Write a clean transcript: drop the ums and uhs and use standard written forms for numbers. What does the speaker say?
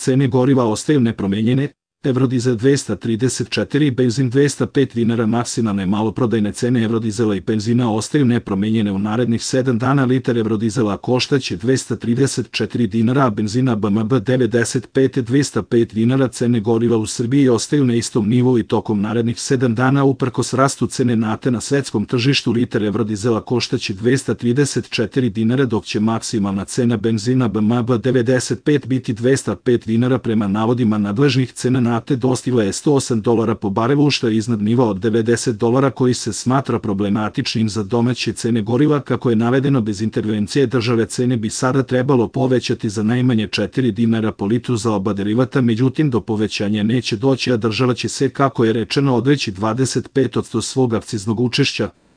Cene goriva ostaju nepromenjene, Evrodizel 234 i benzin 205 dinara. Maksimalne maloprodajne cene Evrodizela i benzina ostaju nepromenjene u narednih 7 dana. Litar Evrodizela koštaće 234 dinara, a benzina BMB 95 205 dinara. Cene goriva u Srbiji ostaju na istom nivou i tokom narednih 7 dana uprkos rastu cene nafte na svetskom tržištu. Litar Evrodizela koštaće 234 dinara, dok će maksimalna cena benzina BMB 95 biti 205 dinara. Prema navodima nadležnih, cena nafte dostigla je $108 po barelu, što je iznad nivoa od $90 koji se smatra problematičnim za domaće cene goriva. Kako je navedeno, bez intervencije države cene bi sada trebalo povećati za najmanje 4 dinara po litru za oba derivata, međutim do povećanja neće doći, a država će se, kako je rečeno, odreći 25% svog akciznog učešća.